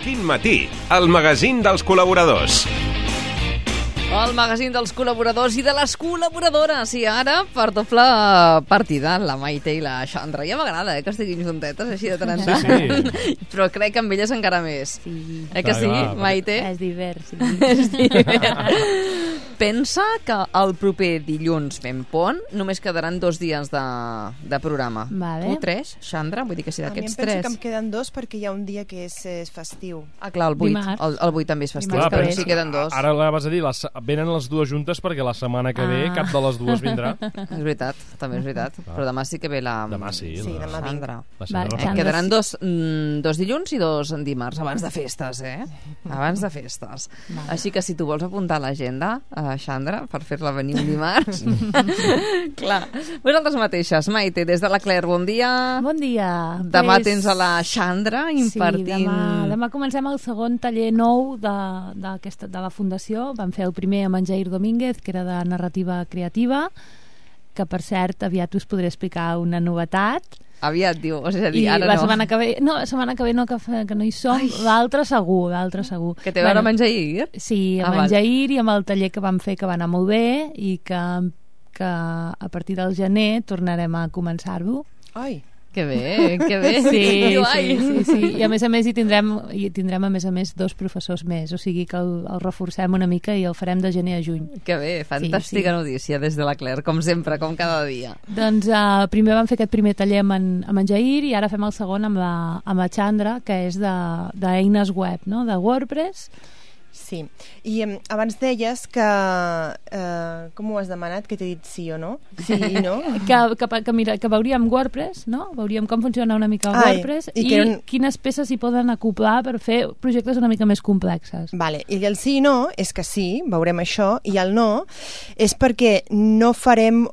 Quin matí, el magazín dels col·laboradors. El magazín dels col·laboradors i de les col·laboradores. I ara, per doble partida, la Maite i la Xandra. Ja m'agrada, que estiguin juntetes, així de tant en tant. Sí. Però crec que amb elles encara més. Sí. Que sí, Clar, Maite? És divers, sí. És divers. Pensa que el proper dilluns fem pont, només quedaran 2 dies de programa. Vale. Tu 3, Xandra? Vull dir que si A mi d'aquests em penso 3... que em queden 2 perquè hi ha un dia que és festiu. Ah, clar, el 8. Dimarts. El 8 també és festiu. Dimarts Però que ve. sí queden 2. Ara la vas a dir, venen les dues juntes perquè la setmana que ve cap de les dues vindrà. És veritat, també és veritat. Però demà sí que ve la... Demà sí. Sí, demà vinc. Xandra. La Vale, Xandra. Xandra. Quedaran dos dilluns i 2 en dimarts, abans de festes, Abans de festes. Vale. Així que si tu vols apuntar a l'agenda, Xandra, per fer-la venir un dimarts... Clar. Vosaltres mateixes, Maite, des de la Claire, bon dia. Bon dia. Demà tens a la Xandra impartint... Sí, demà comencem el segon taller nou de la Fundació. Vam fer el primer amb en Jair Domínguez, que era de narrativa creativa, que per cert aviat us podré explicar una novetat. Aviat, diu, és a dir, I ara la no. setmana que ve no, que no hi som. L'altre segur. Que té a veure amb en Jair? Sí, amb en Jair i amb el taller que vam fer, que va anar molt bé, i que a partir del gener tornarem a començar-ho. Ai, Que bé, que bé. Sí, Diu, ai. sí. I a més hi tindrem a més 2 professors més, o sigui que el reforcem una mica i el farem de gener a juny. Que bé, fantàstica notícia des de la Claire, com sempre, com cada dia. Doncs primer vam fer aquest primer taller amb en Jair i ara fem el segon amb la Xandra, que és d'eines web, no? De WordPress. sí. I abans deies que... com ho has demanat? Que t'he dit sí o no? Sí i no? Que veuríem WordPress, no? Veuríem com funciona una mica WordPress i quines peces s'hi poden acoplar per fer projectes una mica més complexes. Vale. I el sí i no és que sí, veurem això, i el no és perquè no farem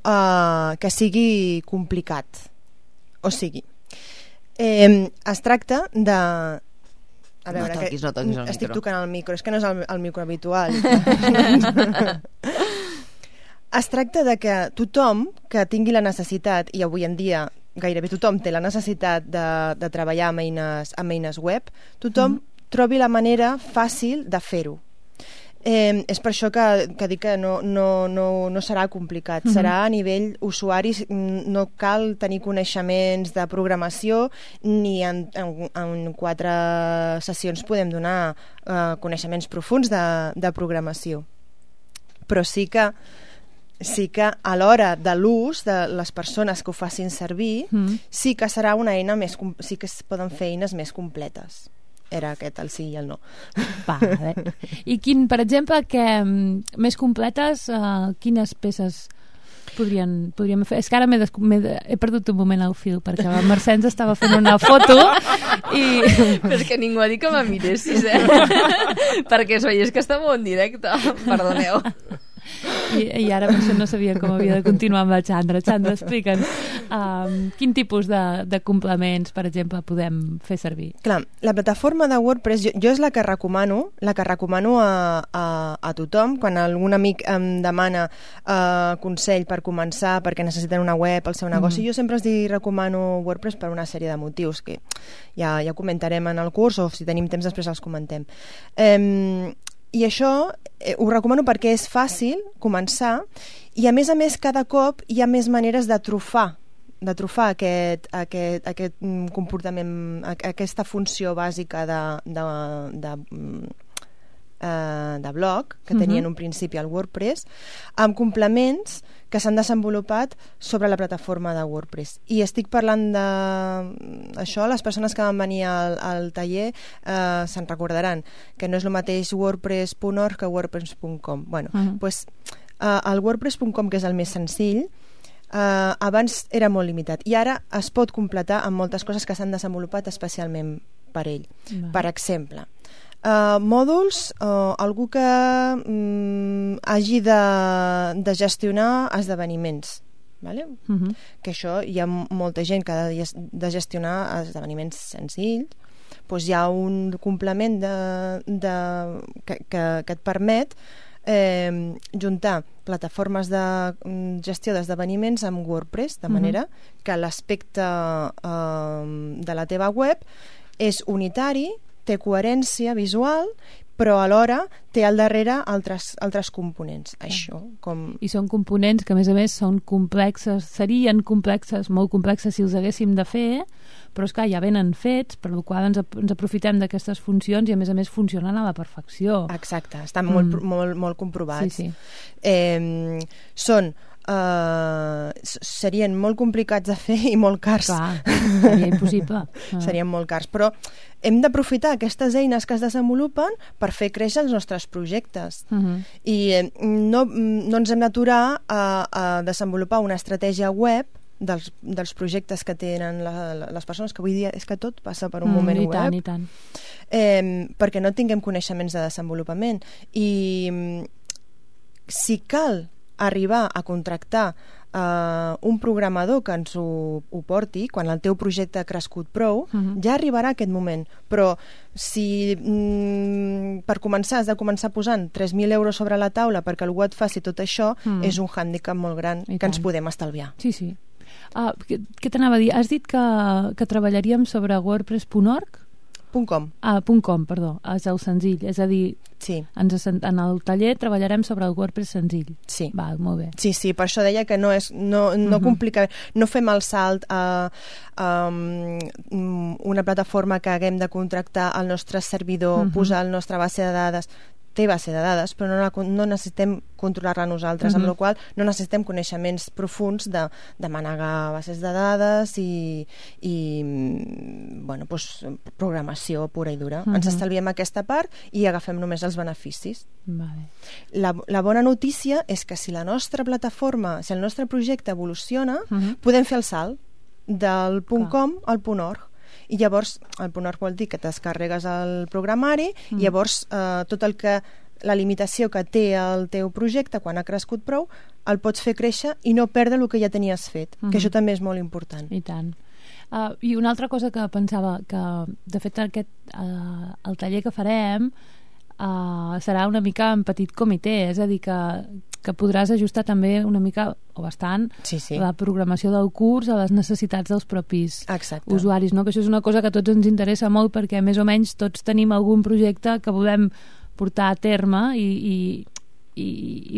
que sigui complicat. O sigui, es tracta de... A veure, no toquis el micro. Estic tocant el micro, és que no és el micro habitual. Es tracta de que tothom que tingui la necessitat, i avui en dia gairebé tothom té la necessitat de treballar amb eines web, tothom trobi la manera fàcil de fer-ho. És per això que dic que no serà complicat, serà a nivell usuari, no cal tenir coneixements de programació, ni en 4 sessions podem donar coneixements profuns de programació, però sí que a l'hora de l'ús de les persones que ho facin servir, sí que serà una eina sí que es poden fer eines més completes. Era aquest el sí i el no. Vale. I per exemple, més completes, quines peces podríem fer? És que ara he perdut un moment el fil, perquè la Mercè ens estava fent una foto i... Però és que ningú ha dit que me miressis, perquè es veiés que estava en directe. Perdoneu. I ara per això no sabia com havia de continuar amb la Xandra. Xandra, explica'ns quin tipus de complements, per exemple, podem fer servir. Clar, la plataforma de WordPress jo és la que recomano a tothom. Quan algun amic em demana consell per començar perquè necessiten una web al seu negoci, jo sempre els recomano WordPress per una sèrie de motius que ja comentarem en el curs, o si tenim temps després els comentem. I això ho recomano perquè és fàcil començar i a més cada cop hi ha més maneres de trufar aquest comportament, aquesta funció bàsica de blog que tenia en un principi el WordPress, amb complements que s'han desenvolupat sobre la plataforma de WordPress. I estic parlant d'això, les persones que van venir al taller se'n recordaran que no és el mateix wordpress.org que wordpress.com. Bueno, doncs el wordpress.com, que és el més senzill, abans era molt limitat i ara es pot completar amb moltes coses que s'han desenvolupat especialment per ell. Per exemple, mòduls, algú que hagi de gestionar esdeveniments, vale? Que això hi ha molta gent que ha de gestionar esdeveniments senzills, doncs hi ha un complement que et permet juntar plataformes de gestió d'esdeveniments amb WordPress, de manera que l'aspecte de la teva web és unitari, té coherència visual, però alhora té al darrere altres components. Això, com... I són components que, a més, són complexes, serien complexes, molt complexes si els haguéssim de fer, però és clar, ja venen fets, per la qual ens aprofitem d'aquestes funcions i, a més, funcionen a la perfecció. Exacte, estan molt comprovats. Sí. Serien molt complicats de fer i molt cars. Clar, seria impossible. Serien molt cars, però hem d'aprofitar aquestes eines que es desenvolupen per fer créixer els nostres projectes. I no ens hem d'aturar a desenvolupar una estratègia web dels projectes que tenen les persones, que avui dia és que tot passa per un moment web. I tant. Perquè no tinguem coneixements de desenvolupament. I si cal arribar a contractar un programador que ens ho porti, quan el teu projecte ha crescut prou, ja arribarà aquest moment. Però si per començar has de començar posant 3.000 euros sobre la taula perquè algú et faci tot això, és un hàndicap molt gran que ens podem estalviar. Sí. Què t'anava a dir? Has dit que treballaríem sobre wordpress.org? .com. .com, perdó, és el senzill, és a dir, sí. En el taller treballarem sobre el WordPress senzill. Sí. Va, molt bé. Sí, per això deia que no complica, no fem el salt a una plataforma que haguem de contractar al nostre servidor, posar la nostra base de dades. Té base de dades, però no necessitem controlar-la nosaltres, amb la qual no necessitem coneixements profuns de manegar bases de dades i programació pura i dura. Ens estalviem aquesta part i agafem només els beneficis. Vale. La bona notícia és que si la nostra plataforma, si el nostre projecte evoluciona, podem fer el salt del .com al .org. I llavors, el .org vol dir que descarregues el programari i llavors tot el que la limitació que té el teu projecte quan ha crescut prou, el pots fer créixer i no perdre el que ja tenies fet, que això també és molt important. I tant. I una altra cosa que pensava, que de fet el taller que farem serà una mica en petit comitè, és a dir, que podràs ajustar també una mica, o bastant, la programació del curs a les necessitats dels propis usuaris, no? Que això és una cosa que a tots ens interessa molt perquè més o menys tots tenim algun projecte que volem portar a terme i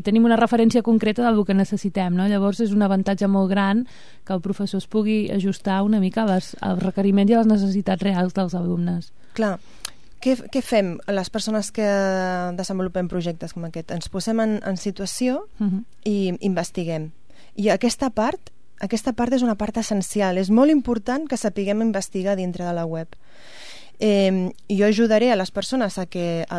tenim una referència concreta del que necessitem, no? Llavors és un avantatge molt gran que el professor es pugui ajustar una mica als requeriments i a les necessitats reals dels alumnes. Clar. Què fem les persones que desenvolupem projectes com aquest? Ens posem en situació i investiguem. I aquesta part és una part essencial. És molt important que sapiguem investigar dintre de la web. Jo ajudaré a les persones a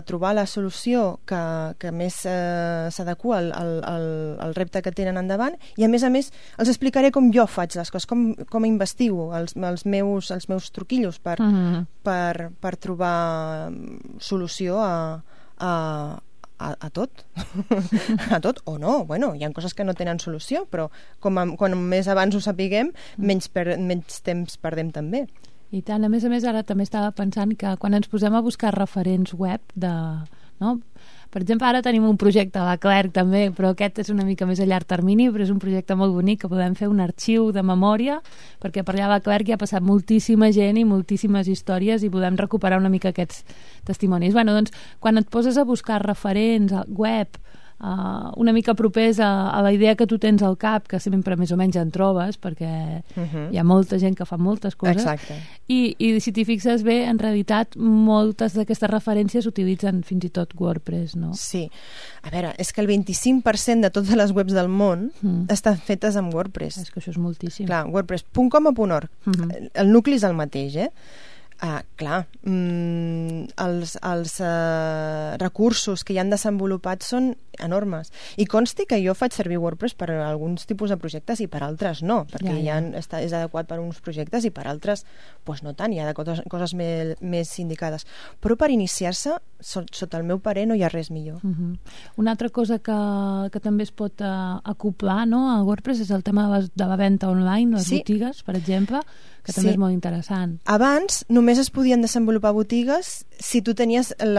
trobar la solució que més s'adequa al repte que tenen endavant i a més els explicaré com jo faig les coses, com investigo els meus truquillos per trobar solució a tot a tot o no, hi ha coses que no tenen solució, però com més abans ho sapiguem menys temps perdem també. I tant, a més, ara també estava pensant que quan ens posem a buscar referents web per exemple, ara tenim un projecte a la Clerc també, però aquest és una mica més a llarg termini, però és un projecte molt bonic que podem fer un arxiu de memòria, perquè per allà a la Clerc hi ha passat moltíssima gent i moltíssimes històries i podem recuperar una mica aquests testimonis. Doncs, quan et poses a buscar referents web una mica propers a la idea que tu tens al cap, que sempre més o menys en trobes, perquè hi ha molta gent que fa moltes coses. Exacte. I si t'hi fixes bé, en realitat moltes d'aquestes referències utilitzen fins i tot WordPress, no? Sí. A veure, és que el 25% de totes les webs del món estan fetes amb WordPress. És que això és moltíssim. Clar, wordpress.com o .org. El nucli és el mateix, clar, els recursos que hi han desenvolupat són enormes. I consti que jo faig servir WordPress per a alguns tipus de projectes i per altres no, perquè és adequat per a uns projectes i per altres no tant, hi ha coses més indicades. Però per iniciar-se, sota el meu parer, no hi ha res millor. Una altra cosa que també es pot acoplar a WordPress és el tema de la venda online, les botigues, per exemple, que també és molt interessant. Abans només es podien desenvolupar botigues si tu tenies el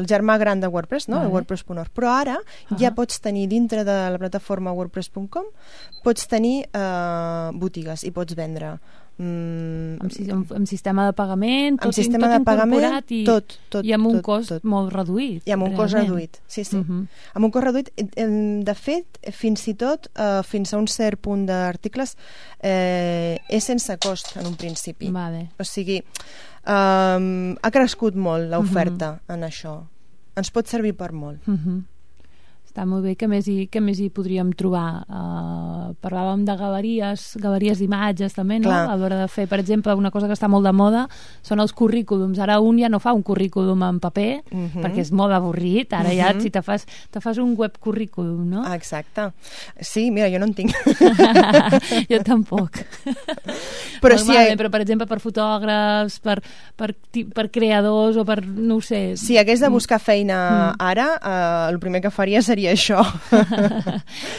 germà gran de WordPress, el WordPress.org, però ara ja pots tenir dintre de la plataforma wordpress.com pots tenir botigues i pots vendre Amb sistema de pagament, amb sistema de pagament, tot. I amb un cost molt reduït. I amb un cost reduït, sí. Amb un cost reduït, de fet, fins i tot, fins a un cert punt d'articles, és sense cost en un principi. O sigui, ha crescut molt l'oferta en això. Ens pot servir per molt. Està molt bé. Què més hi podríem trobar? Parlàvem de galeries d'imatges també, no? A l'hora de fer, per exemple, una cosa que està molt de moda són els currículums. Ara un ja no fa un currículum en paper perquè és molt avorrit. Ara ja si te fas un web currículum, no? Exacte. Sí, mira, jo no en tinc. Jo tampoc. Però per exemple, per fotògrafs, per creadors o per, no ho sé... Si hagués de buscar feina ara, el primer que faria seria això.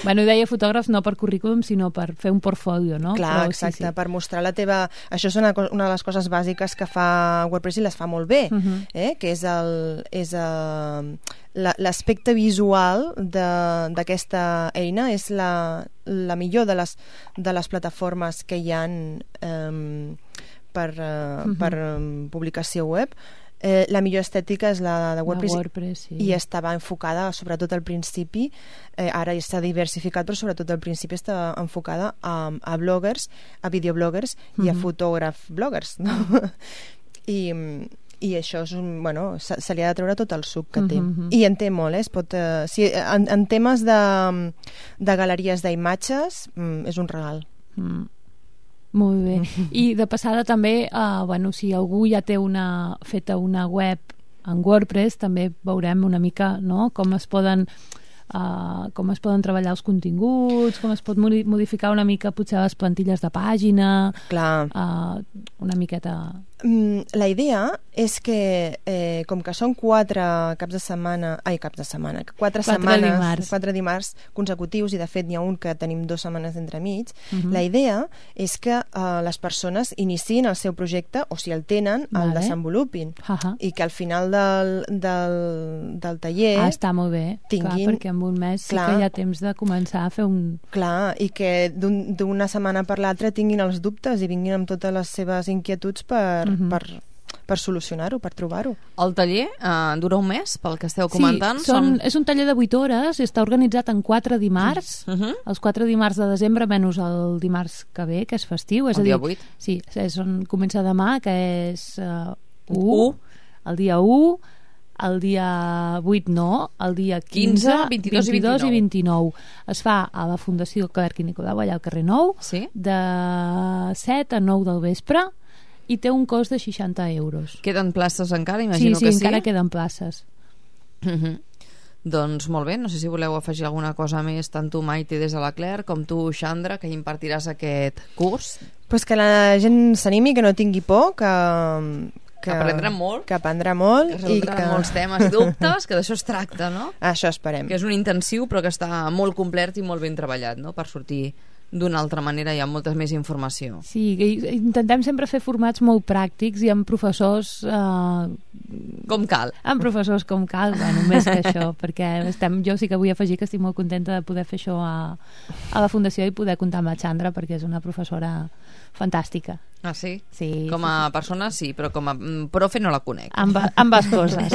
Bueno, deia fotògrafs no per currículum, sinó per fer un portfolio, no? Clar, exacte, per mostrar la teva... Això és una de les coses bàsiques que fa WordPress i les fa molt bé, que és l'aspecte visual d'aquesta eina, és la millor de les plataformes que hi ha per publicació web. La millor estètica és la de WordPress, i estava enfocada, sobretot al principi, ara està diversificat, però sobretot al principi estava enfocada a bloggers, a videobloggers i a fotògraf-bloggers, no? I això és se li ha de treure tot el suc que té. I en té molt, en temes de galeries d'imatges és un regal. Molt bé. I de passada també, si algú ja té feta una web en WordPress, també veurem una mica, no?, com es poden treballar els continguts, com es pot modificar una mica potser les plantilles de pàgina. Clar. Una miqueta... La idea és que, com que són 4 dimarts consecutius, i de fet n'hi ha un que tenim 2 setmanes d'entremig, la idea és que les persones iniciïn el seu projecte, o si el tenen, el desenvolupin, i que al final del taller està molt bé, tinguin... Clar, perquè en un mes sí que hi ha temps de començar a fer un... Clar, i que d'una setmana per l'altra tinguin els dubtes i vinguin amb totes les seves inquietuds per solucionar-ho, per trobar-ho. El taller dura un mes, pel que esteu comentant? Sí, és un taller de 8 hores i està organitzat en 4 dimarts, els 4 dimarts de desembre menys el dimarts que ve, que és festiu, és a dir, 8. Sí, és on comença demà, que és 1, el dia 1, el dia 8 no, el dia 15, 22 i 29. Es fa a la Fundació Clerc i Nicolau, allà al carrer Nou, de 7 a 9 del vespre, i té un cost de 60 euros. Queden places encara? Imagino que sí. Sí, encara queden places. Doncs molt bé, no sé si voleu afegir alguna cosa més, tant tu, Maite, des de la Clerc, com tu, Xandra, que impartiràs aquest curs. Pues que la gent s'animi, que no tingui por, que aprendrà molt, que resoldrà molts temes i dubtes, que d'això es tracta, no? Això esperem. Que és un intensiu, però que està molt complet i molt ben treballat, no?, per sortir d'una altra manera i amb molta més informació. Sí, intentem sempre fer formats molt pràctics i amb professors... com cal. Amb professors com cal, més que això, perquè jo sí que vull afegir que estic molt contenta de poder fer això a la Fundació i poder comptar amb la Xandra, perquè és una professora fantàstica. Ah, sí? Sí. Com a persona sí, però com a profe no la conec. Ambes coses.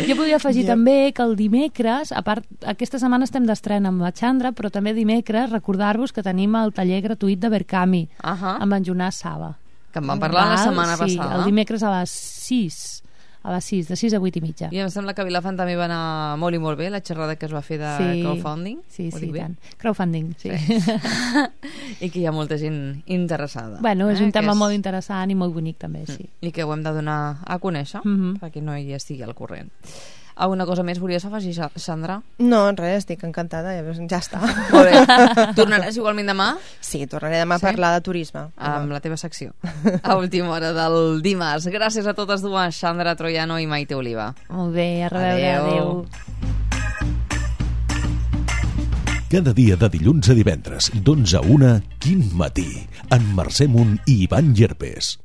Jo podria afegir també que el dimecres, a part, aquesta setmana estem d'estrena amb la Xandra, però també dimecres recordar-vos que tenim el taller gratuït de Verkami amb en Jonàs Saba. Que en vam parlar la setmana passada. Sí, el dimecres a les 6. De 6 a 8 i mitja. I em sembla que a Vilafant també va anar molt i molt bé la xerrada que es va fer de crowdfunding. Sí, tant. Crowdfunding, sí. I que hi ha molta gent interessada. Bueno, és un tema molt interessant i molt bonic també, sí. I que ho hem de donar a conèixer perquè no hi estigui al corrent. Alguna cosa més volies afegir, Xandra? No, res, estic encantada, ja està. Molt bé. Tornaràs igualment demà? Sí, tornaré demà a parlar de turisme. Amb la teva secció. A última hora del dimarts. Gràcies a totes dues, Xandra Troiano i Maite Oliva. Molt bé, a reveure. Adéu. Cada dia de dilluns a divendres, d'11 a 1, Quin Matí, amb Mercè Munt i Ivan Llerpes.